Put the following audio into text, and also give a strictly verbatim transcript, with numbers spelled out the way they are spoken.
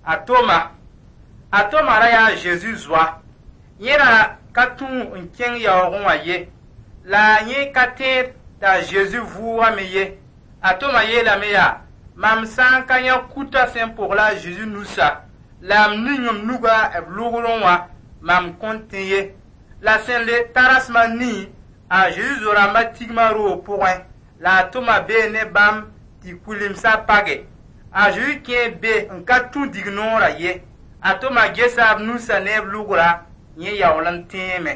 A Toma, a Toma ra yaa a Zezi zoa. Yẽ ra ka tũ n kẽng yaoogẽ wã ye, la yẽ ka tẽed t'a Zezi vʋʋgame ye. A Toma yeelame yaa: mam sã n ka yã kuta sẽn pogl a Zezi nusa, la m ning m nuga b lʋgrẽ wã, mam kõn tẽ ye. La sẽn le ta rasem a nii, a Zezi zo-rãmba tigma roog pʋgẽ, la a Toma bee ne bãmb tɩ kʋɩlemsã page. A Zezi kẽe be n ka tũ dignoorã ye. A Toma gesa b nusã ne b lʋgra, yẽ yaool n tẽeme.